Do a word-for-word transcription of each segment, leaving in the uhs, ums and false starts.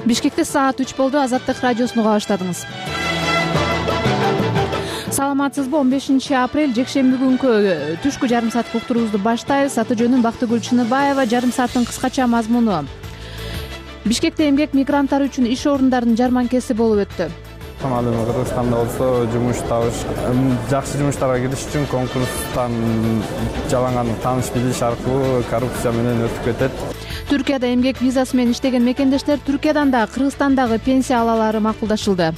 Бишкекте саат үч болду. Азаттык радиосун уга баштадыңыз. Саламатсызбы? он бешинчи апрель жекшемби күнкү түшкү жарым сааттык уктуруубузду баштайбыз. Аты жөнүм Бактыгүл Чыныбаева. Жарым сааттын кыскача мазмуну. Бишкекте эмгек мигранттары үчүн иш орундарынын жарманкеси болуп өттү. Ал эми Кыргызстанда болсо жумуш табыш, жакшы жумуштарга кириш үчүн конкурстан жалаң тааныш билиш аркылуу коррупция менен өтүп кетет. Түркияда эмгек визасы менен иштеген мекендештер Түркиядан да Кыргызстандагы пенсия алалары макулдашылды.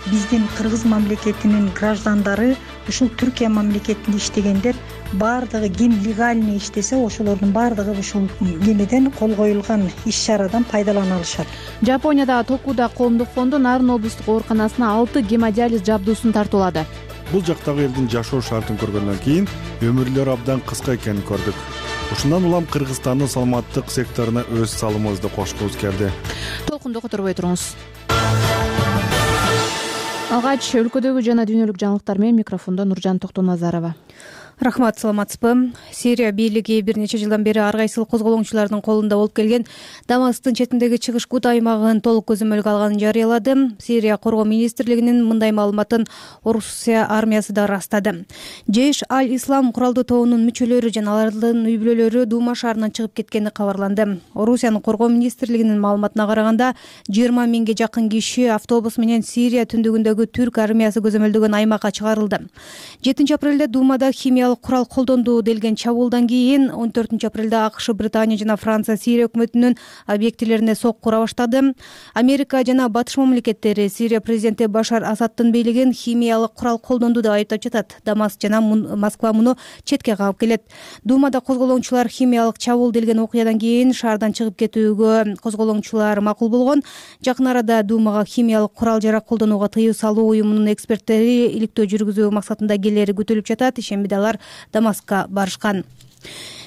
Биздин Кыргыз мамлекетинин граждандары ушул Түркия мамлекетинде иштегендер баардыгы ким легальный иштесе ошолордун баардыгы ушул немеден кол коюлган иш-чарадан пайдалана алышат. Жапониядагы Токуда коомдук фонду Нарын облустук ооруканасына алты гемодиализ жабдуусун тартуулады. Бул жактагы элдин жашоо шартын көргөндөн кийин өмүрлөрү абдан кыска экенин көрдүк. Ушундан улам Кыргызстандын саламаттык секторуна өз салымыбызды кошкубуз келди. Толкунду которбой туруңуз. Алгач өлкөдөгү жана дүйнөлүк жаңылыктар менен микрофондо Нуржан Токтоназарова. Рахмат, саламатсызбы? Сирия бийлиги бир нече жылдан бери ар кайсыл козголоңчулардын колунда болуп келген Дамасктын четиндеги чыгыш Гут аймагын толук көзөмөлгө алганын жарыялады. Сирия коргоо министрлигинин мындай маалыматын Орусия армиясы да ырастады. Жейш аль-Ислам куралдуу тобунун мүчөлөрү жана алардын үй бүлөлөрү Дума шаарынан чыгып кеткени кабарланды. Орусиянын коргоо министрлигинин маалыматына караганда жыйырма миңге жакын киши автобус менен Сирия түндүгүндөгү түрк армиясы көзөмөлдөгөн аймакка чыгарылды. жетинчи апрелде Думада химия курал колдонду делген чабуулдан кийин он төртүнчү апрелде АКШ, Британия жана Франция Сирия өкмөтүнүн объектилерине сокку ура баштады. Америка жана батыш мамлекеттери Сирия президенти Башар Асаддын бийлигин химиялык курал колдонду деп айыптап жатат. Дамаск жана Москва муну четке кагып келет. Думада козголоңчулар химиялык чабуул делген окуядан кийин шаардан чыгып кетүүгө козголоңчулар макул болгон. Жакын арада Думага химиялык курал жарак колдонууга тыюу салуу уюмунун эксперттери иликтөө жүргүзүү максатында келери күтүлүп жатат. Ишембиде алар Дамаскка барышкан.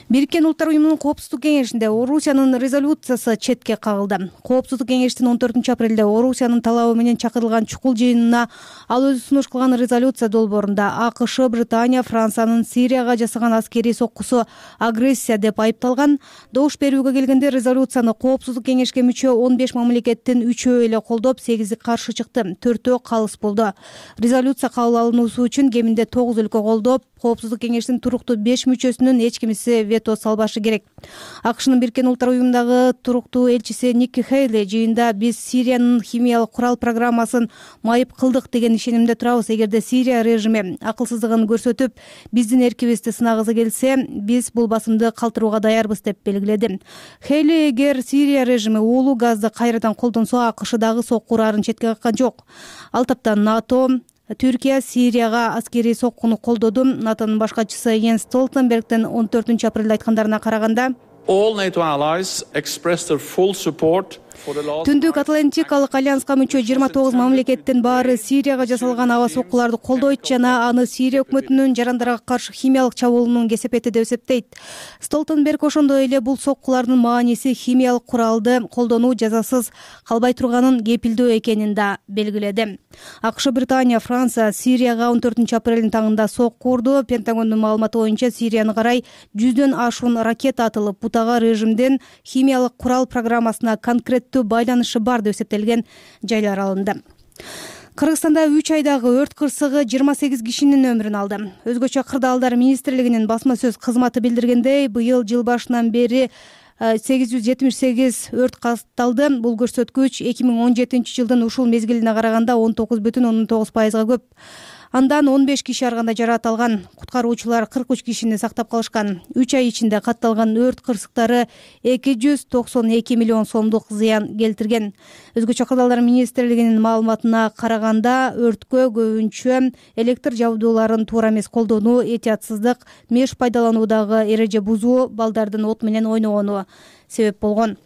Бириккен Улуттар уюмунун Коопсуздук кеңешинде Орусиянын резолюциясы четке кагылды. Коопсуздук кеңештин он төртүнчү апрелде Орусиянын талабы менен чакырылган чукул жыйынына ал өзү сунуш кылган резолюция долбоорунда АКШ, Британия, Франциянын Сирияга жасаган аскерий соккусу агрессия деп айыпталган. Добуш берүүгө келгенде резолюцияны Коопсуздук кеңешке мүчө он беш мамлекеттин үчөө эле колдоп, сегизи каршы чыкты, төртөө калыс болду. Резолюция кабыл алынуусу үчүн кеминде тогуз өлкө колдоп, Коопсуздук кеңештин туруктуу беш мүчөсүнүн эч кимиси вето салбашы керек. АКШнын Бириккен Улуттар уюмундагы туруктуу элчиси Никки Хейли жыйында биз Сириянын химиялык курал программасын майып кылдык деген ишенимде турабыз. Эгерде Сирия режими акылсыздыгын көрсөтүп, биздин эркибизди сынагысы келсе, биз бул басымды калтырууга даярбыз деп белгиледи. Хейли эгер Сирия режими уулуу газды кайрадан колдонсо, АКШ дагы сокку урарын четке каккан жок. Ал таптан НАТО, Түркия Сирияга аскерий соккуну колдоду. НАТОнун башкачысы Йенс Столтенбергдин он төртүнчү апрелде айткандарына караганда, all NATO allies expressed their full support. Түндүк Атлантикалык альянска мүчө жыйырма тогуз мамлекеттин баары Сирияга жасалган аба соккуларды колдойт жана аны Сирия өкмөтүнүн жарандарга каршы химиялык чабуулунун кесепети деп эсептейт. Столтенберг ошондой эле бул соккулардын мааниси химиялык куралды колдонуу жазасыз калбай турганын кепилдөө экенин да белгиледи. АКШ, Британия, Франция Сирияга он төртүнчү апрелдин таңында сокку урду. Пентагондун маалыматы боюнча Сирияны карай жүздөн ашуун ракета атылып, бутага режимден химиялык курал программасына конкрет байланышы бар деп эсептелген жайлар алынды. Кыргызстанда үч айдагы өрт кырсыгы жыйырма сегиз кишинин өмүрүн алды. Өзгөчө Кырдаалдар министрлигинин басма сөз кызматы билдиргендей, быйыл жыл башынан бери сегиз жүз жетимиш сегиз өрт катталды. Бул көрсөткүч эки миң он жетинчи жылдын ушул мезгилине караганда он тогуз бүтүн ондон тогуз пайызга көп. Андан он беш киши ар кандай жаракат алган. Куткаруучулар кырк үч кишини сактап калышкан. үч ай ичинде катталган өрт кырсыктары эки жүз токсон эки миллион сомдук зыян келтирген. Өзгөчө Кырдаалдар министрлигинин маалыматына караганда, өрткө көбүнчө электр жабдууларын туура эмес колдонуу, этиятсыздык, меш пайдалануудагы эреже бузуу, балдардын от менен ойногону себеп болгон.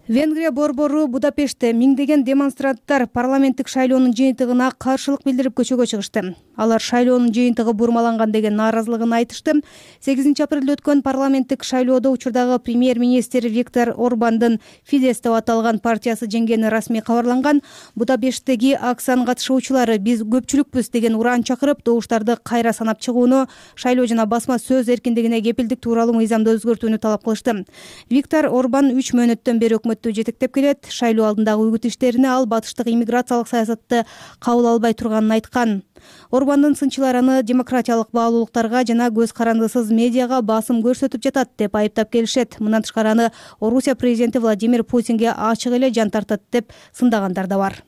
Венгрия борбору Будапештте миңдеген демонстранттар парламенттик шайлоонун жыйынтыгына каршылык билдирип көчөгө чыгышты. Алар шайлоонун жыйынтыгы бурмаланган деген нааразылыгын айтышты. сегизинчи апрелде өткөн парламенттик шайлоодо учурдагы премьер-министр Виктор Орбандын Фидес деп аталган партиясы жеңгени расмий кабарланган. Будапешттеги акциянын катышуучулары биз көпчүлүкпүз деген ураан чакырып, добуштарды кайра санап чыгууну, шайлоо жана басма сөз эркиндигине кепилдик тууралуу мыйзамды өзгөртүүнү талап кылышты. Виктор Орбан үч мөөнөттөн бери өкмөт өкмөттү жетектеп келет. Шайлоо алдындагы үгүт иштерине ал батыштык иммиграциялык саясатты кабыл албай турганын айткан. Орбандын сынчылары аны демократиялык баалуулуктарга жана көз карандысыз медиага басым көрсөтүп жатат деп айыптап келишет. Мындан тышкары аны Орусия президенти Владимир Путинге ачык эле жан тартат деп сындагандар да бар.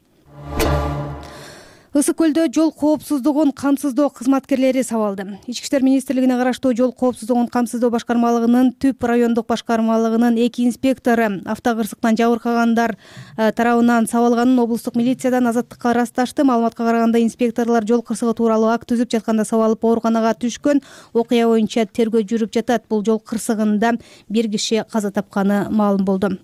Ысык көлдө жол коопсуздугун камсыздоо кызматкерлери сабалды. Ички иштер министрлигине караштуу жол коопсуздугун камсыздоо башкармалыгынын Түп райондук башкармалыгынын эки инспектору автокырсыктан жабыркагандар тарабынан сабалганын облустук милициядан Азаттыкка ырасташты. Маалыматка караганда, инспекторлор жол кырсыгы тууралуу акт түзүп жатканда сабалып ооруканага түшкөн. Окуя боюнча тергөө жүрүп жатат. Бул жол кырсыгында бир киши каза тапканы маалым болду.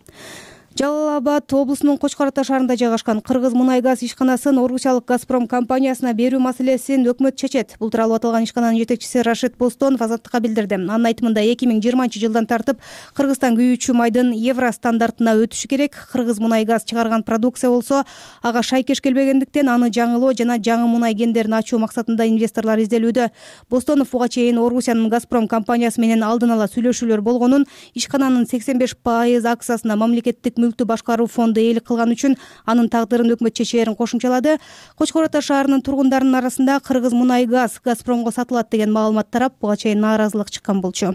Жалал Абад облусунун Кочкор Ата шаарында жайгашкан Кыргыз мунай газ ишканасын Орусиялык Газпром компаниясына берүү маселесин өкмөт чечет. Бул тууралуу аталган ишкананын жетекчиси Рашид Бостонов Азаттыкка билдирди. Анын айтымында эки миң жыйырманчы жылдан тартып Кыргызстан күйүүчү майдын евро стандартына өтүшү керек. Кыргыз мунай газ чыгарган продукция болсо ага шайкеш келбегендиктен аны жаңылоо жана жаңы мунай кендерин ачуу максатында инвесторлор изделүүдө. Бостонов буга чейин Орусиянын Газпром компаниясы менен алдын ала сүйлөшүүлөр болгонун, ишкананын сексен беш пайыз акциясына мамлекеттик мүлктү башкаруу фонду ээлик кылган үчүн анын тагдырын өкмөт чечээрин кошумчалады. Кочкор Ата шаарынын тургундарынын арасында Кыргыз мунай газ Газпромго сатылат деген маалымат тарап, буга чейин нааразылык чыккан болчу.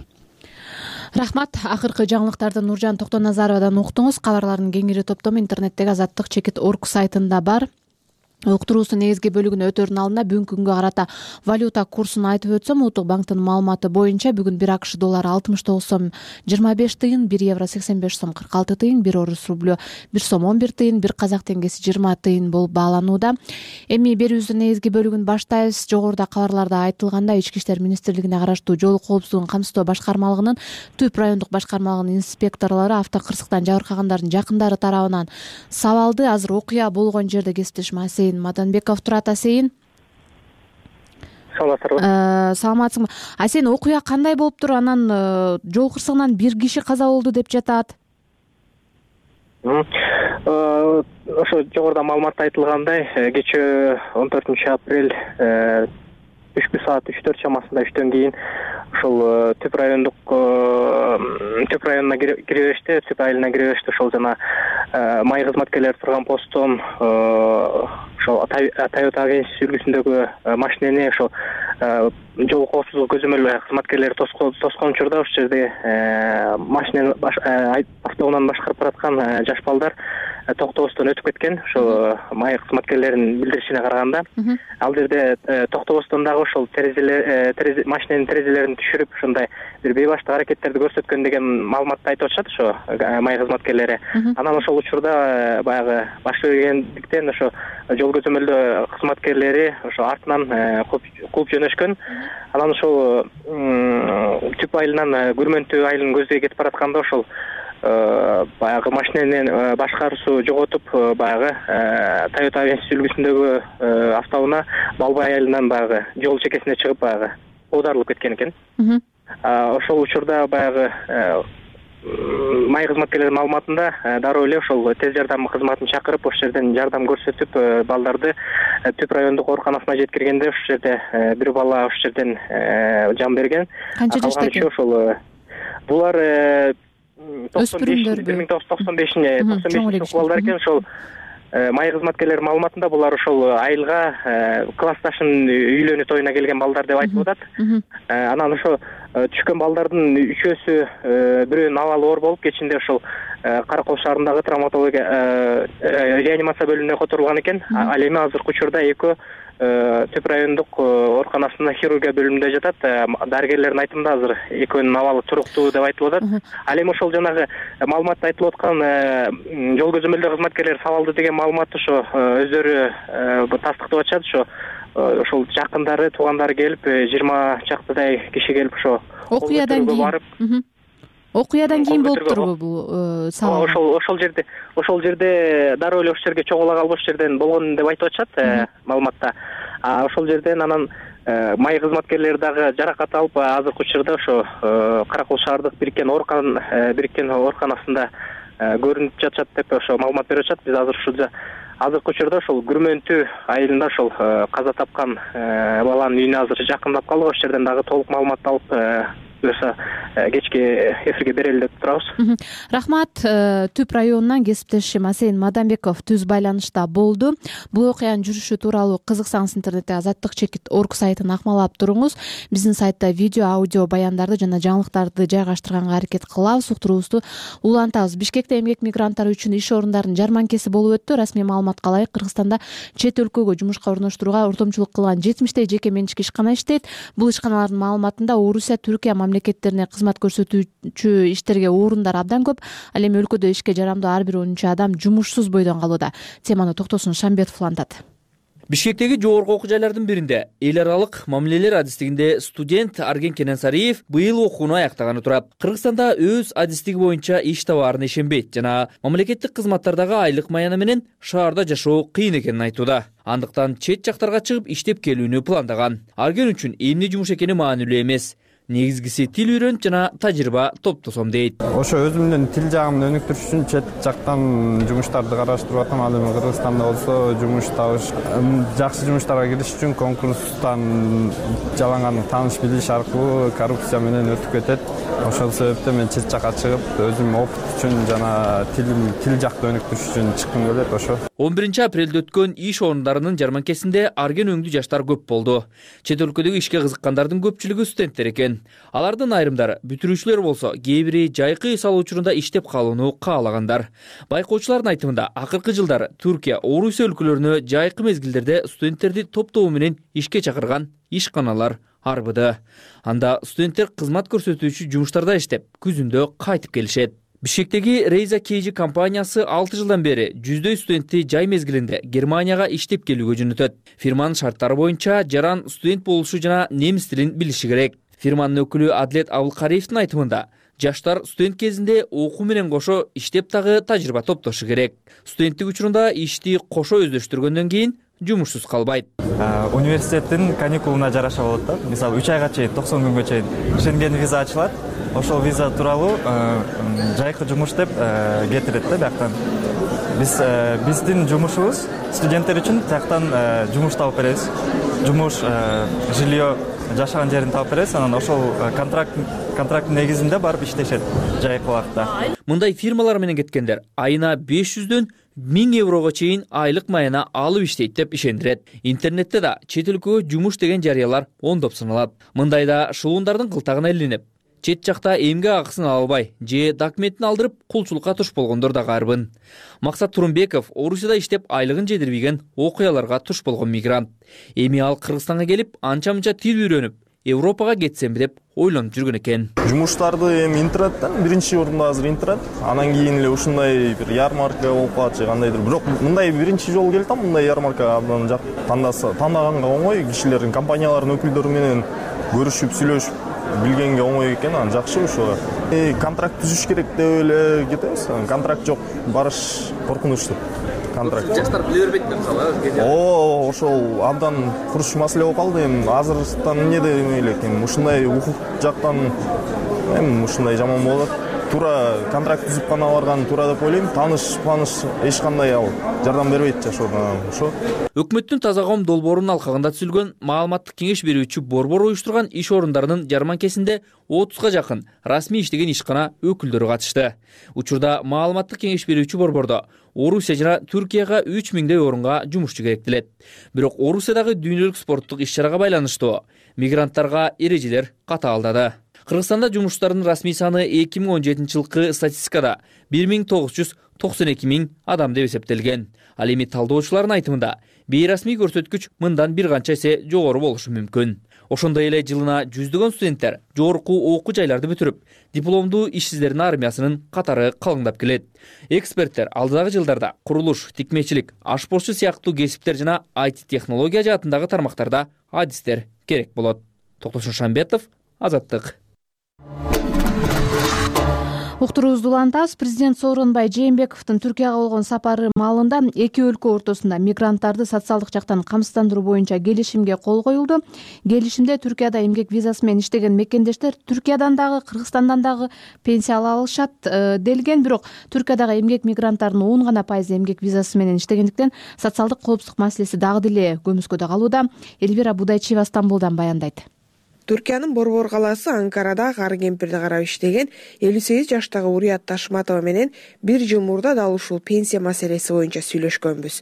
Рахмат. Акыркы жаңылыктарды Нуржан Токтоназаровадан уктуңуз. Кабарлардын кеңири топтому интернеттеги азаттык чекит точка орг сайтында бар. Уктуруусунун негизги бөлүгүнө өтөрүнүн алдында бүгүнкү күнгө карата валюта курсун айтып өтсөм, Улуттук банктын маалыматы боюнча бүгүн бир АКШ доллары алтымыш тогуз сом жыйырма беш тыйын, бир евро сексен беш сом кырк алты тыйын, бир орус рублю бир сом он бир тыйын, бир казак теңгеси жыйырма тыйын болуп бааланууда. Эми берүүбүздүн негизги бөлүгүн баштайбыз. Жогоруда кабарларда айтылгандай, Ички иштер министрлигине караштуу жол коопсуздугун камсыздоо башкармалыгынын Түп райондук башкармалыгынын инспекторлору автокырсыктан жабыркагандардын жакындары тарабынан сабалды. Азыр окуя болгон жерде кесиптешим Асейин Матанбеков турат. Асейин, саламатсызбы? Саламатсызбы. Асейин, окуя кандай болуптур? Анан жол кырсыгынан бир киши каза болду деп жатат. Ошо жогоруда маалыматта айтылгандай, кечээ он төртүнчү апрель түшкү саат үч төрт чамасында үчтөн кийин ошол Түп райондук Түп районуна кире беришти, Түп айылына кире беришти. Ошол жана май кызматкерлери турган посттон ошол Toyota агенция үлгүсүндөгү машинени ошол жол коопсуздугу көзөмөл кызматкерлери тоскон учурда ошол жерде машинени автоунааны башкарып бараткан жаш балдар токтобостон өтүп кеткен. Ошол май кызматкерлеринин билдиришине караганда, ал жерде токтобостон дагы ошол терезелер машиненин терезелерин түшүрүп, ушундай бир бейбаштык аракеттерди көрсөткөн деген маалыматты айтып атышат ошо май кызматкерлери. Анан ошол учурда баягы баш бергендиктен ошо жол көзөмөлдөө кызматкерлери ошо артынан кууп жөнөшкөн. Анан ошол Түп айылынан Күрмөнтү айылын көздөй кетип баратканда ошол баягы машиненин башкаруусу жоготуп, баягы Toyota агенция үлгүсүндөгү автоунаа Балбай айылынан баягы жол чекесине чыгып баягы оодарылып кеткен экен. Ошол учурда баягы май кызматкерлеринин маалыматында дароо эле ошол тез жардам кызматын чакырып, ошол жерден жардам көрсөтүп, балдарды Түп райондук ооруканасына жеткиргенде ошол жерде бир бала ошол жерден жан берген. Канча жашта экен? Ошол булар өспүрүмдөрбү? бир миң тогуз жүз токсон беш балдар экен. Ошол май кызматкерлери маалыматында булар ошол айылга классташынын үйлөнүү тоюна келген балдар деп айтып атат. Анан ошо түшкөн балдардын үчөөсү бирөөнүн абалы оор болуп, кечинде ошол Каракол шаарындагы травматология реанимация бөлүмүнө которулган экен. Ал эми азыркы учурда экөө Түп райондук ооруканасынын хирургия бөлүмүндө жатат. Дарыгерлердин айтымында азыр экөөнүн абалы туруктуу деп айтылып атат. Ал эми ошол жанагы маалыматта айтылып аткан жол көзөмөлдөө кызматкерлери сабалды деген маалыматты ошо өздөрү тастыктап атышат. Ошо ошол жакындары, туугандары келип, жыйырма чактыдай киши келип ошо окуядан кийин окуядан кийин болуптурбу бул сабал? Ошол ошол жерде ошол жерде дароо эле ошол жерге чогула калып ошол жерден болгон деп айтып атышат маалыматта. Ошол жерден анан май кызматкерлери дагы жаракат алып, азыркы учурда ошо Каракол шаардык бириккен оорукан бириккен ооруканасында көрүнүп жатышат деп ошо маалымат берип атышат. Биз азыр ушул азыркы учурда ошол Күрмөнтү айылында ошол каза тапкан баланын үйүнө азыр жакындап калдык. Ошол жерден дагы толук маалымат алып буюрса кечки эфирге берели деп турабыз. Рахмат. Түп районунан кесиптешим Асен Мадамбеков түз байланышта болду. Бул окуянын жүрүшү тууралуу кызыксаңыз интернетте Азаттык чекит орг сайтын акмалап туруңуз. Биздин сайтта видео, аудио баяндарды жана жаңылыктарды жайгаштырганга аракет кылабыз. Уктуруубузду улантабыз. Бишкекте эмгек мигранттары үчүн иш орундарынын жарманкеси болуп өттү. Расмий маалыматка ылайык Кыргызстанда чет өлкөгө жумушка орноштурууга ортомчулук кылган жетимиштей жеке менчик ишкана иштейт. Бул ишканалардын маалыматында Орусия, Түркия мамлекеттерине кызмат көрсөтүүчү иштерге орундар абдан көп. Ал эми өлкөдө ишке жарамдуу ар бир онунчу адам жумушсуз бойдон калууда. Теманы Токтосун Шамбетов улантат. Бишкектеги жогорку окуу жайлардын биринде эл аралык мамилелер адистигинде студент Арген Кененсариев быйыл окууну аяктаганы турат. Кыргызстанда өз адистиги боюнча иш табаарына ишенбейт жана мамлекеттик кызматтардагы айлык маяны менен шаарда жашоо кыйын экенин айтууда. Андыктан чет жактарга чыгып иштеп келүүнү пландаган. Арген үчүн эмне жумуш экени маанилүү эмес. Негизгиси тил үйрөнүп жана тажрыйба топтосом дейт. Ошо өзүмдүн тил жагымды өнүктүрүш үчүн чет жактан жумуштарды караштырып атам. Ал эми Кыргызстанда болсо жумуш табыш, жакшы жумуштарга кириш үчүн конкурстан жаланган тааныш билиш аркылуу коррупция менен өтүп кетет. Ошол себептен мен чет жакка чыгып өзүм опыт үчүн жана тил тил жакты өнүктүрүш үчүн чыккым келет. Ошо он биринчи апрелде өткөн иш орундарынын жарманкесинде Арген өңдүү жаштар көп болду. Чет өлкөдөгү ишке кызыккандардын көпчүлүгү студенттер экен. Алардын айрымдары бүтүрүүчүлөр болсо, кээ бири жайкы эс алуу учурунда иштеп калууну каалагандар. Байкоочулардын айтымында акыркы жылдары Түркия, Орусия өлкөлөрүнө жайкы мезгилдерде студенттерди топтоо менен ишке чакырган ишканалар арбыды. Анда студенттер кызмат көрсөтүүчү жумуштарда иштеп, күзүндө кайтып келишет. Бишкектеги Рейза Кейжи компаниясы алты жылдан бери жүздөй студентти жай мезгилинде Германияга иштеп келүүгө жөнөтөт. Фирманын шарттары боюнча жаран студент болушу жана немис тилин билиши керек. Фирманын өкүлү Адлет Абылкариевдин айтымында, жаштар студент кезинде окуу менен кошо иштеп дагы тажрыйба топтошу керек. Студенттик учурунда ишти кошо өздөштүргөндөн кийин жумушсуз калбайт. Университеттин каникулуна жараша болот да. Мисалы үч айга чейин, токсон күнгө чейин Шенген виза ачылат. Ошол виза тууралуу жайкы жумуш деп кетирет да бияктан. Биз биздин жумушубуз студенттер үчүн тияктан жумуш таап беребиз. Жумуш, жилье, жашаган жерин таап беребиз. Анан ошол контракт контракттын негизинде барып иштешет жайкы убакытта. Мындай фирмалар менен кеткендер айына беш жүздөн миң еврого чейин айлык маяна алып иштейт деп ишендирет. Интернетте да чет өлкөгө жумуш деген жарыялар ондоп саналат. Мындайда шылуундардын кылтагына илинип, чет жакта эмгек акысын ала албай же документин алдырып кулчулукка туш болгондор да карбын. Максат Турунбеков Орусияда иштеп айлыгын жедирбеген окуяларга туш болгон мигрант. Эми ал Кыргызстанга келип, анча-мынча тил үйрөнүп, Европага кетсемби деп ойлонуп жүргөн экен. Жумуштарды эми интернеттен биринчи орунда азыр интернет, анан кийин эле ушундай бир ярмарка болуп калат же кандайдыр. Бирок мындай биринчи жолу келип атам, мындай ярмарка абдан жак тандаса, тандаганга оңой, кишилердин, компаниялардын өкүлдөрү менен көрүшүп, сүйлөшүп билгенге оңой экен, анан жакшы ошо. Э, контракт түзүш керек деп эле кетебиз. Контракт жок, барыш коркунучтуу. Контракт. Жаштар биле бербейт деп кала. О, ошол абдан курч маселе болуп калды. Эми азыртан эмне деп элек, эми ушундай укук жактан эми ушундай жаман болот. Туура контракт түзүп гана барган туура деп ойлойм. Таныш, таныш эч кандай ал жардам бербейт жашоодон. Ошо. Өкмөттүн таза коом долбоорунун алкагында түзүлгөн маалыматтык кеңеш берүүчү борбор уюштурган иш орундарынын жарманкесинде отузга жакын расмий иштеген ишкана өкүлдөрү катышты. Учурда маалыматтык кеңеш берүүчү борбордо Орусия жана Түркияга үч миңдей орунга жумушчу керектелет. Бирок Орусиядагы дүйнөлүк спорттук иш-чарага байланыштуу мигранттарга эрежелер катаалдады. Кыргызстанда жумушчулардын расмий саны эки миң он жетинчи жылкы статистикада бир миң тогуз жүз токсон эки миң адам деп эсептелген. Ал эми талдоочулардын айтымында бейрасмий көрсөткүч мындан бир канча эсе жогору болушу мүмкүн. Ошондой эле жылына жүздөгөн студенттер жогорку окуу жайларды бүтүрүп, дипломдуу ишсиздердин армиясынын катары калыңдап келет. Эксперттер алдыдагы жылдарда курулуш, тикмечилик, ашпозчу сыяктуу кесиптер жана ай ти технология жаатындагы тармактарда адистер керек болот. Токтосун Шамбетов, Азаттык. Уктуруубузду улантабыз. Президент Сооронбай Жээнбековдун Түркияга болгон сапары маалында эки өлкө ортосунда мигранттарды социалдык жактан камсыздандыруу боюнча келишимге кол коюлду. Келишимде Түркияда эмгек визасы менен иштеген мекендештер Түркиядан дагы, Кыргызстандан дагы пенсия ала алышат делген. Бирок Түркиядагы эмгек мигранттарынын он гана пайызы эмгек визасы менен иштегендиктен социалдык коопсуздук маселеси дагы деле көмүскөдө калууда. Элвира Будайчиева Стамбулдан баяндайт. Түркиянын Борбор калаасы Анкарада кары кемпирди карап иштеген элүү сегиз жаштагы Урият Ташматова менен бир жыл мурда дал ушул пенсия маселеси боюнча сүйлөшкөнбүз.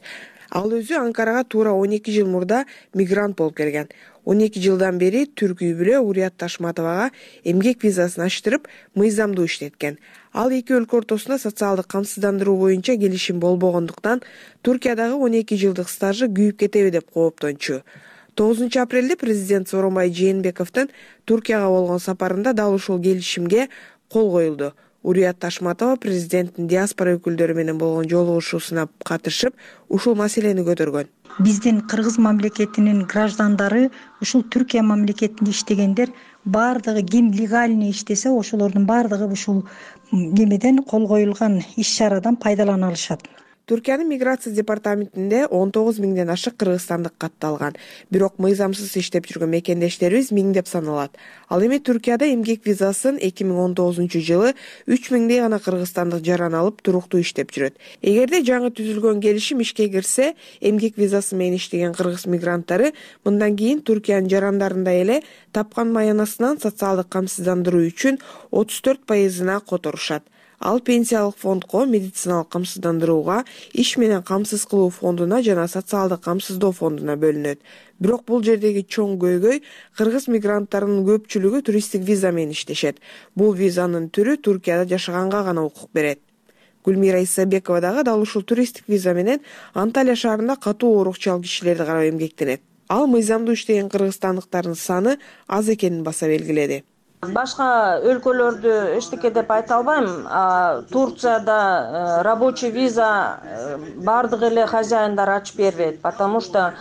Ал өзү Анкарага туура он эки жыл мурда мигрант болуп келген. он эки жылдан бери түрк үй бүлө Урият Ташматовага эмгек визасын ачтырып, мыйзамдуу иштеткен. Ал эки өлкө ортосунда социалдык камсыздандыруу боюнча келишим болбогондуктан Туркиядагы он эки жылдык стажы күйүп кетеби деп кооптончу. тогузунчу апрелде президент Сооронбай Жээнбековдун Туркияга болгон сапарында дал ушул келишимге кол коюлду. Урият Ташматова президенттин диаспора өкүлдөрү менен болгон жолугушуусуна катышып, ушул маселени көтөргөн. Биздин кыргыз мамлекетинин граждандары ушул Түркия мамлекетинде иштегендер баардыгы ким легальный иштесе, ошолордун баардыгы ушул немеден кол коюлган иш-чарадан пайдалана алышат. Түркиянын миграция департаментинде он тогуз миңден ашык кыргызстандык катталган. Бирок мыйзамсыз иштеп жүргөн мекендештерибиз миңдеп саналат. Ал эми Түркияда эмгек визасын эки миң он тогузунчу жылы үч миңдей гана кыргызстандык жаран алып туруктуу иштеп жүрөт. Эгерде жаңы түзүлгөн келишим ишке кирсе, эмгек визасы менен иштеген кыргыз мигранттары мындан кийин Түркиянын жарандарындай эле тапкан маянасынан социалдык камсыздандыруу үчүн отуз төрт пайызына которушат. Ал пенсиялык фондко, медициналык камсыздандырууга, иш менен камсыз кылуу фондуна жана социалдык камсыздоо фондуна бөлүнөт. Бирок бул жердеги чоң көйгөй кыргыз мигранттарынын көпчүлүгү туристтик виза менен иштешет. Бул визанын түрү Туркияда жашаганга гана укук берет. Гүлмира Исабекова дагы дал ушул туристтик виза менен Анталия шаарында катуу оорукчал кишилерди карап эмгектенет. Ал мыйзамдуу иштеген кыргызстандыктардын саны аз экенин баса белгиледи. Башка өлкөлөрдү эчтеке деп айта албайм. Турцияда рабочий виза бардык эле хозяиндар ачып бербейт, потому что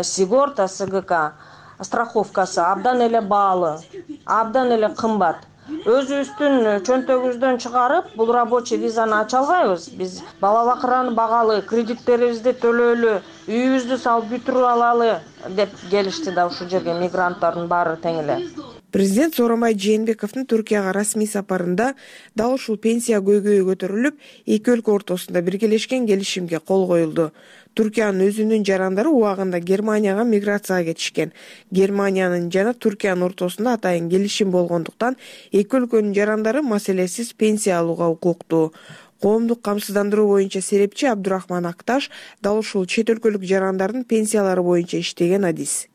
Сигорта СГК страховкасы абдан эле баалы, абдан эле кымбат. Өзүбүздүн чөнтөгүбүздөн чыгарып, бул рабочий визаны ача албайбыз. Биз бала бакыраны багалы, кредиттерибизди төлөөлү, үйүбүздү салып бүтүрүп алалы деп келишти да ушул жерге мигранттардын баары тең эле. Президент Сооронбай Жээнбековдун Түркияга расмий сапарында дал ушул пенсия көйгөйү көтөрүлүп, эки өлкө ортосунда биргелешкен келишимге кол коюлду. Түркиянын өзүнүн жарандары убагында Германияга миграцияга кетишкен. Германиянын жана Түркиянын ортосунда атайын келишим болгондуктан эки өлкөнүн жарандары маселесиз пенсия алууга укуктуу. Коомдук камсыздандыруу боюнча серепчи Абдурахман Акташ дал ушул чет өлкөлүк жарандардын пенсиялары боюнча иштеген адис.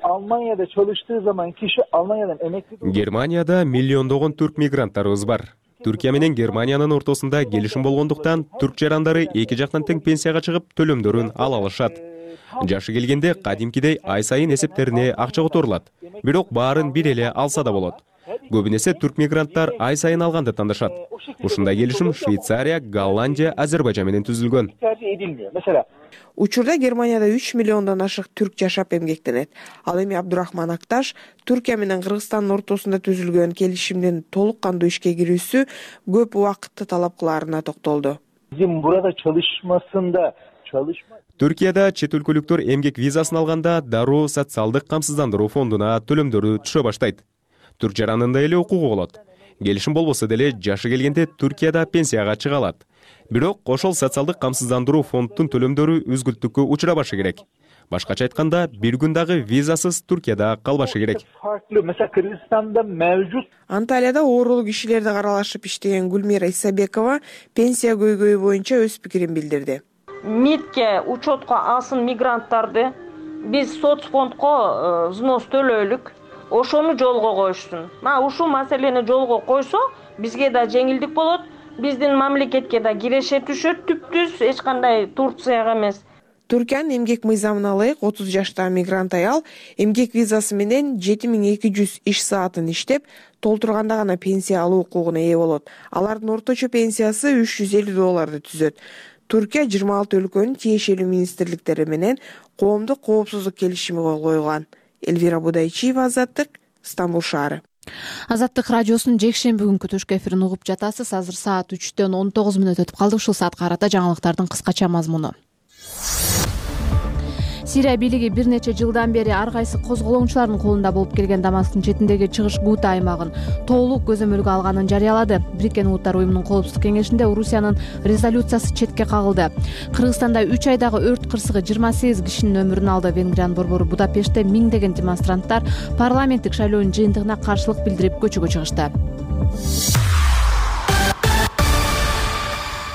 Almanya'da çalıştığı zaman kişi Almanya'dan emekli... Германияда миллиондогон түрк мигранттарыбыз бар. Түркия менен Германиянын ортосунда келишим болгондуктан түрк жарандары эки жактан тең пенсияга чыгып төлөмдөрүн ала алышат. Жашы келгенде кадимкидей ай сайын эсептерине акча которулат. Бирок баарын бир эле алса да болот. Көбүнесе түрк мигранттар ай сайын алганды тандашат. Ушундай келишим Швейцария, Голландия, Азербайжан менен түзүлгөн. Учурда Германияда үч миллиондон ашык түрк жашап эмгектенет. Ал эми Абдурахман Акташ Түркия менен Кыргызстандын ортосунда түзүлгөн келишимдин толук кандуу ишке кирүүсү көп убакытты талап кылаарына токтолду. Bizim burada çalışmasında çalışma Түркияда чет өлкөлүктөр эмгек визасын алганда дароо социалдык камсыздандыруу фондуна төлөмдөрү түшө баштайт. Түрк жаранында эле укугу болот. Келишим болбосо деле жашы келгенде Түркияда пенсияга чыга алат. Бирок ошол социалдык камсыздандыруу фонддун төлөмдөрү үзгүлтүккө учурабашы керек. Башкача айтканда, бир күн дагы визасыз Түркияда калбашы керек. Анталияда оорулуу кишилерди каралашып иштеген Гүлмира Исабекова пенсия көйгөйү боюнча өз пикирин билдирди. МИДке учетко алсын мигранттарды, биз соцфондко взнос төлөйлүк, ошону жолго коюшсун. Мына ушул маселени жолго койсо, бизге да жеңилдик болот. Биздин мамлекетке да киреше түшөт, түптүз эч кандай Турцияга эмес. Түркиянын эмгек мыйзамына ылайык отуз жаштагы мигрант аял эмгек визасы менен жети миң эки жүз иш саатын иштеп, толтурганда гана пенсия алуу укугуна ээ болот. Алардын орточо пенсиясы үч жүз элүү долларды түзөт. Түркия жыйырма алты өлкөнүн тиешелүү министрликтери менен коомдук коопсуздук келишими кол койгон. Эльвира Будайчиева, Азаттык, Стамбул шаары. Азаттык радиосунун жекшемби күнкү түшкү эфирин угуп жатасыз. Азыр саат үчтөн он тогуз мүнөт өтүп калды. Ушул саатка карата жаңылыктардын кыскача мазмуну. Сирия бийлиги бир нече жылдан бери ар кайсы козголоңчулардын колунда болуп келген Дамасктын четиндеги чыгыш Гута аймагын толук көзөмөлгө алганын жарыялады. Бириккен Улуттар уюмунун коопсуздук кеңешинде Орусиянын резолюциясы четке кагылды. Кыргызстанда үч айдагы өрт кырсыгы жыйырма сегиз кишинин өмүрүн алды. Венгриянын борбору Будапештте миңдеген демонстранттар парламенттик шайлоонун жыйынтыгына каршылык билдирип көчөгө чыгышты.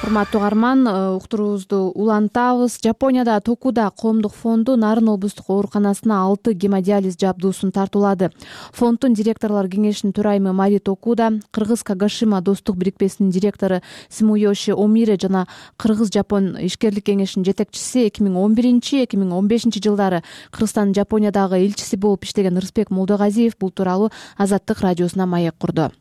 Урматтуу угарман, уктуруубузду улантабыз. Жапонияда Токуда коомдук фонду Нарын облустук ооруканасына алты гемодиализ жабдуусун тартуулады. Фонддун директорлор кеңешинин төрайымы Мари Токуда, Кыргыз Кагашима достук бирикмесинин директору Симуёши Омире жана Кыргыз-Жапон ишкерлик кеңешинин жетекчиси эки миң он биринчи эки миң он бешинчи жылдары Кыргызстандын Жапониядагы элчиси болуп иштеген Рыспек Молдогазиев бул тууралуу Азаттык радиосуна маек курду.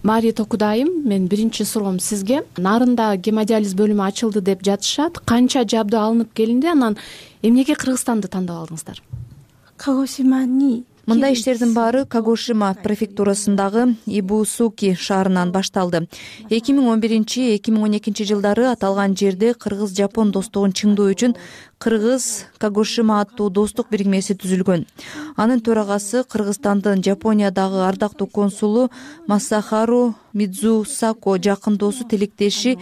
Мари Токуда айым, мен биринчи суроом сизге. Нарында гемодиализ бөлүмү ачылды деп жатышат. Канча жабдуу алынып келинди, анан эмнеге Кыргызстанды тандап алдыңыздар? Кагошимани Мындай иштердин баары Кагошима префектурасындагы Ибусуки шаарынан башталды. эки миң он биринчи эки миң он экинчи жылдары аталган жерде Кыргыз-Жапон достугун чыңдоо үчүн Кыргыз Кагошима аттуу достук бирикмеси түзүлгөн. Анын төрагасы Кыргызстандын Жапониядагы ардактуу консулу Масахару Мидзусако жакын досу тилектеши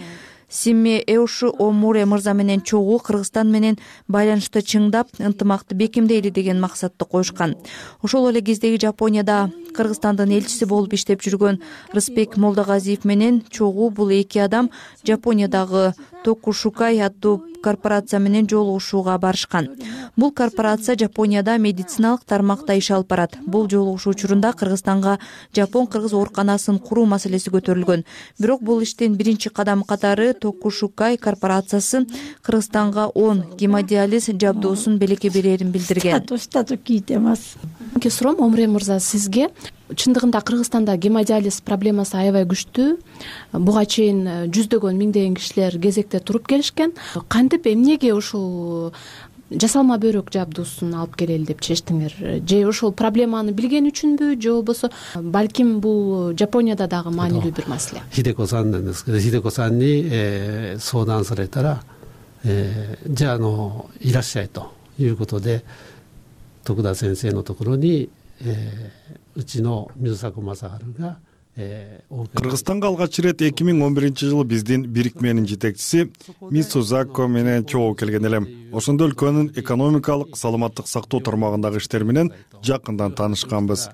Симе Эушу Омуре мырза менен чогуу Кыргызстан менен байланышты чыңдап, ынтымакты бекемдейли деген максатты коюшкан. Ошол эле кездеги Жапонияда Кыргызстандын элчиси болуп иштеп жүргөн Рыспек Молдогазиев менен чогуу бул эки адам Жапониядагы Токушукай аттуу корпорация менен жолугушууга барышкан. Бул корпорация Жапонияда медициналык тармакта иш алып барат. Бул жолугушуу учурунда Кыргызстанга Жапон-Кыргыз ооруканасын куруу маселеси көтөрүлгөн. Бирок бул иштин биринчи кадамы катары Токушукай корпорациясы Кыргызстанга он гемодиализ жабдуусун белекке берерин билдирген. Ке суром Омре мырза сизге. Чындыгында Кыргызстанда гемодиализ проблемасы аябай күчтүү. Буга чейин жүздөгөн миңдеген кишилер кезекте туруп келишкен. Кантип эмнеге ушул жасалма бөйрөк жабдуусун алып келели деп чечтиңер? Же ошол проблеманы билген үчүнбү, же болбосо балким бул Жапонияда дагы маанилүү бир маселе? Хидеко-санですけど、Хидеко-санに相談されたら、じゃああのいらっしゃいということで、徳田先生のところにうちの水迫正治がКыргызстанга алгач ирет эки миң он биринчи жылы биздин бирикменин жетекчиси Мисузако менен чогуу келген элем. Ошондо өлкөнүн экономикалык, саламаттык сактоо тармагындагы иштер менен жакындан таанышканбыз.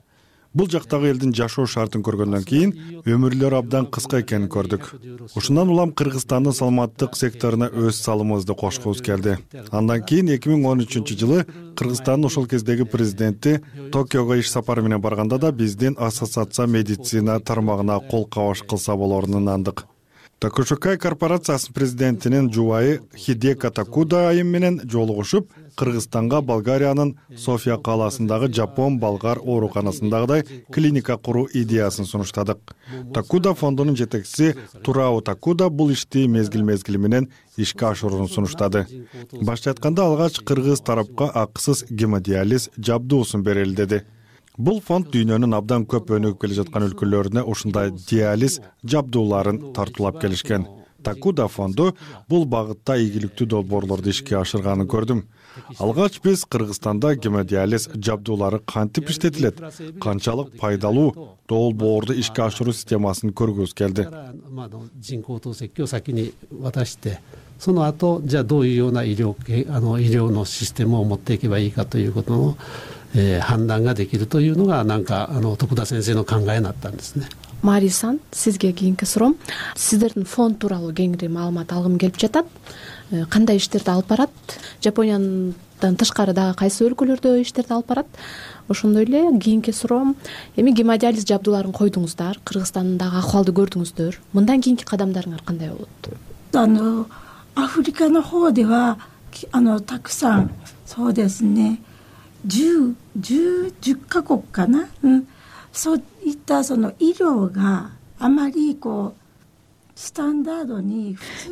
Бул жактагы элдин жашоо шартын көргөндөн кийин өмүрлөрү абдан кыска экенин көрдүк. Ушундан улам Кыргызстандын саламаттык секторуна өз салымыбызды кошкубуз келди. Андан кийин эки миң он үчүнчү жылы Кыргызстандын ошол кездеги президенти Токиого иш сапары менен барганда да биздин ассоциация медицина тармагына кол кабаш кылса болорун ынандык. Токушукай корпорациясынын президентинин жубайы Хидеко Токуда айым менен жолугушуп, Кыргызстанга Болгариянын София калаасындагы Жапон-Болгар ооруканасындагыдай клиника куруу идеясын сунуштадык. Токуда фондунун жетекчиси Турао Токуда бул ишти мезгил-мезгили менен ишке ашырууну сунуштады. Башча айтканда алгач кыргыз тарапка акысыз гемодиализ жабдуусун берели деди. Бул фонд дүйнөнүн абдан көп өнүгүп келе жаткан өлкөлөрүнө ушундай диализ жабдууларын тартуулап келишкен. Токуда фонду бул багытта ийгиликтүү долбоорлорду ишке ашырганын көрдүм. Алгач биз Кыргызстанда гемодиализ жабдуулары кантип иштетилет, канчалык пайдалуу долбоорду ишке ашыруу системасын көргүбүз келди. その後、じゃあどういうような医療、あの医療のシステムを持っていけばいいかということの、えー、判断ができるというのがなんかあの徳田先生の考えになったんですね。Мари сан, сизге кийинки суроом. Сиздердин фонд тууралуу кеңири маалымат алгым келип жатат. Кандай иштерди алып барат? Жапониядан тышкары дагы кайсы өлкөлөрдө иштерди алып барат? Ошондой эле кийинки суроом, эми гемодиализ жабдууларын койдуңуздар, Кыргызстандагы акыбалды көрдүңүздөр. Мындан кийинки кадамдарыңар кандай болот? あのアフリカの方ではあのたくさんそうですねじゅうカ国かな、うん、そういったその医療があまりこう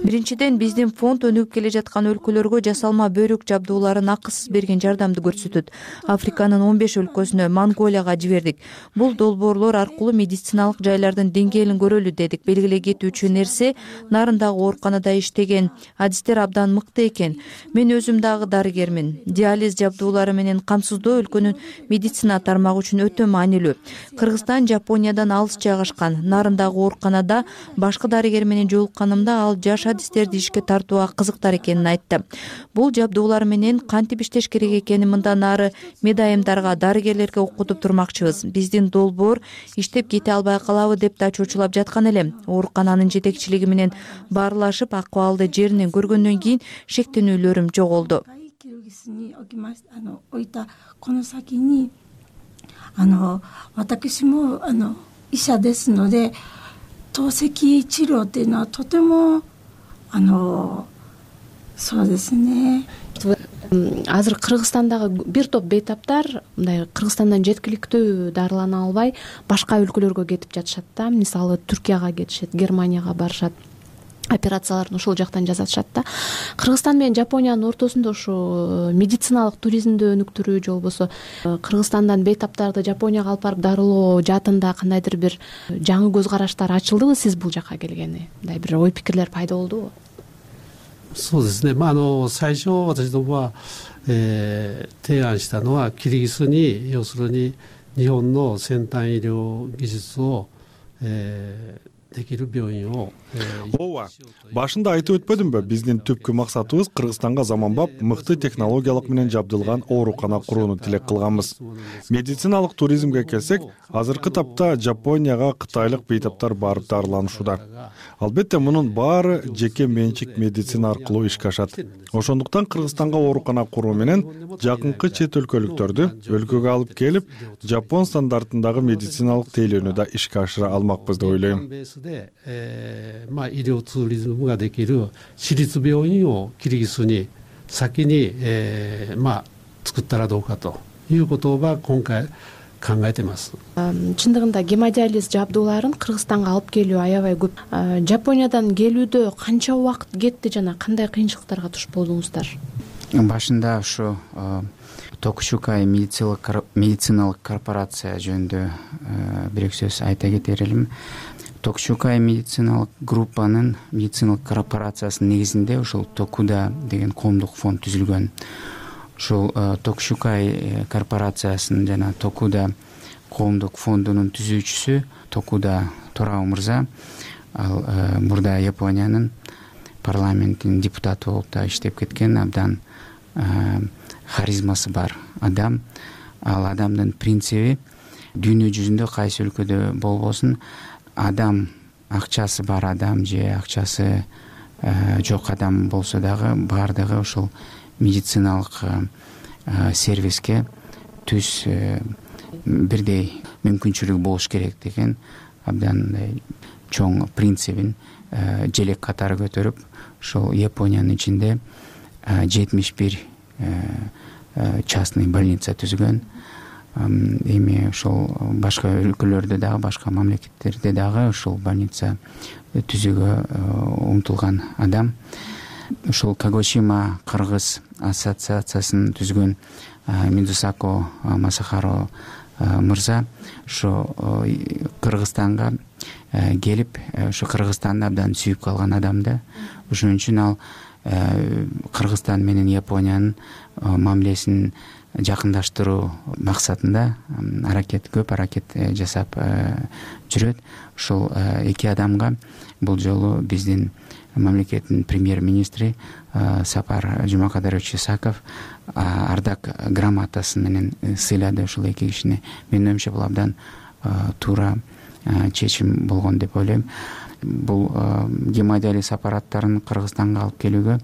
биринчиден биздин фонд өнүгүп келе жаткан өлкөлөргө жасалма бөйрөк жабдууларын акысыз берген жардамды көрсөтөт. Африканын он беш өлкөсүнө, Монголияга жибердик. Бул долбоорлор аркылуу медициналык жайлардын деңгээлин көрөлү дедик. Белгилей кетүүчү нерсе, нарындагы ооруканада иштеген адистер абдан мыкты экен. Мен өзүм дагы дарыгермин. Диализ жабдуулары менен камсыздоо өлкөнүн медицина тармагы үчүн өтө маанилүү. Кыргызстан Жапониядан алыс жайгашкан. Нарындагы ооруканада башкы дарыгер менен жолукканымда ал жаш адистерди ишке тартууга кызыктар экенин айтты. Бул жабдуулар менен кантип иштеш керек экенин мындан ары медайымдарга, дарыгерлерге окутуп турмакчыбыз. Биздин долбоор иштеп кете албай калабы деп да чочулап жаткан элем. Оорукананын жетекчилиги менен баарлашып, акыбалды жеринен көргөндөн кийин шектенүүлөрүм жоголду. Азыр Кыргызстандагы бир топ бейтаптар мындай Кыргызстандан жеткиликтүү дарылана албай башка өлкөлөргө кетип жатышат да. Мисалы Түркияга кетишет, Германияга барышат. Операцияларын ошол жактан жасатышат да. Кыргызстан менен Жапониянын ортосунда ушу медициналык туризмди өнүктүрүү же болбосо Кыргызстандан бейтаптарды Жапонияга алып барып дарылоо жаатында кандайдыр бир жаңы көз караштар ачылдыбы сиз бул жакка келгени? Мындай бир ой пикирлер пайда болдубу? そうですね。まああの最初私どもは、えー、提案したのはキリギスに要するに日本の先端医療技術を、えー ооба башында айтып өтпөдүмбү, биздин түпкү максатыбыз Кыргызстанга заманбап мыкты технологиялык менен жабдылган оорукана курууну тилек кылганбыз. Медициналык туризмге келсек, азыркы тапта Жапонияга кытайлык бейтаптар барып дарыланышууда. Албетте мунун баары жеке менчик медицина аркылуу ишке ашат. Ошондуктан Кыргызстанга оорукана куруу менен жакынкы чет өлкөлүктөрдү өлкөгө алып келип, Жапон стандартындагы медициналык тейлөөнү да ишке ашыра алмакпыз деп ойлойм. で、えーまあ、医療ツーリズムができる私立病院をキリギスに先に、えーまあ、作ったらどうかということは今回考えてます。 Чындыгында гемодиализ жабдууларын Кыргызстанга алып келүү аябай көп. Жапониядан келүүдө канча убакыт кетти жана кандай кыйынчылыктарга туш болдуңуздар? Башында ушу Токушукай медициналык корпорация жөнүндө бир сөз айта кетер элем. Токушукай медициналык группанын медициналык корпорациясынын негизинде ушул Токуда деген коомдук фонд түзүлгөн. Ушул Токушукай корпорациясынын жана Токуда коомдук фондунун түзүүчүсү Токуда Торао мырза, ал мурда Япониянын парламентинин депутаты болуп да иштеп кеткен, абдан харизмасы бар адам. Ал адамдын принциби дүйнө жүзүндө кайсы өлкөдө болбосун адам, акчасы бар адам же акчасы жок адам болсо дагы баардыгы ушул медициналык сервиске түз бирдей мүмкүнчүлүк болуш керек деген абдан чоң принцибин желек катары көтөрүп, ушул Япониянын ичинде жетимиш бир частный больница түзгөн. Эми ушул башка өлкөлөрдө дагы, башка мамлекеттерде дагы ушул больница түзүүгө умтулган адам. Ушул Кагошима Кыргыз ассоциациясын түзгөн Мидусако Масахаро мырза ушу Кыргызстанга келип, ушу Кыргызстанды абдан сүйүп калган адам да. Ошон үчүн ал Кыргызстан менен Япониянын мамилесин жакындаштыруу максатында аракет, көп аракет жасап жүрөт. Ушул эки адамга бул жолу биздин мамлекеттин премьер-министри Сапар Жумакадырович Исаков ардак грамотасы менен сыйлады ушул эки кишини. Менин оюмча бул абдан туура чечим болгон деп ойлойм. Бул гемодиализ аппараттарын Кыргызстанга алып келүүгө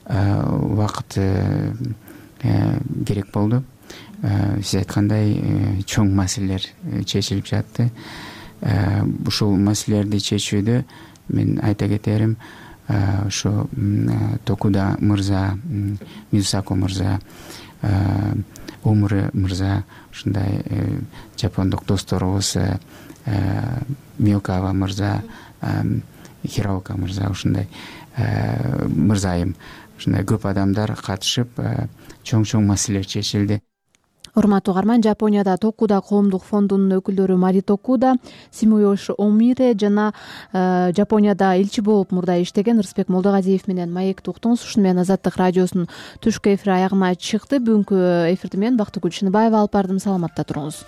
убакыт керек болду. Сиз айткандай чоң маселелер чечилип жатты. Ушул маселелерди чечүүдө мен айта кетерим, ошо Токуда мырза, Мидусако мырза, Омуре мырза, ушундай жапондук досторубуз Миокава мырза, хироока мырза ушундай мырзайым ушундай көп адамдар катышып чоң чоң маселелер чечилди. Урматтуу угарман, Жапонияда Токуда коомдук фондунун өкүлдөрү Мари Токуда, Симуёши Омире жана Жапонияда элчи болуп мурда иштеген Рыспек Молдогазиев менен маекти уктуңуз. Ушуну менен Азаттык радиосунун түшкү эфири аягына чыкты. Бүгүнкү эфирди мен Бактыгүл Чыныбаева алып бардым. Саламатта туруңуз.